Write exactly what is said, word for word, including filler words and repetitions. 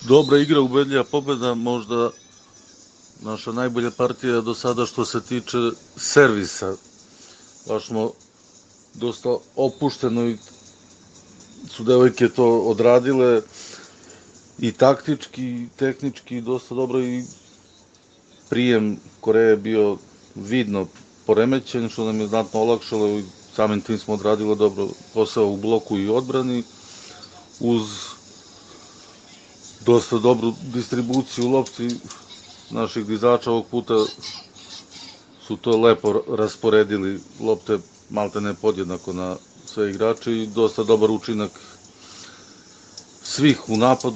Dobra igra, ubedljiva pobeda, možda naša najbolja partija do sada što se tiče servisa. Baš smo dosta opušteno i su devojke to odradile i taktički, i tehnički dosta dobro i prijem Koreje je bio vidno poremećen, što nam je znatno olakšalo i samim tim smo odradili dobro posao u bloku i odbrani uz dosta dobru distribuciju lopti naših dizača. Ovog puta su to lepo rasporedili lopte maltene podjednako na sve igrače i dosta dobar učinak svih u napadu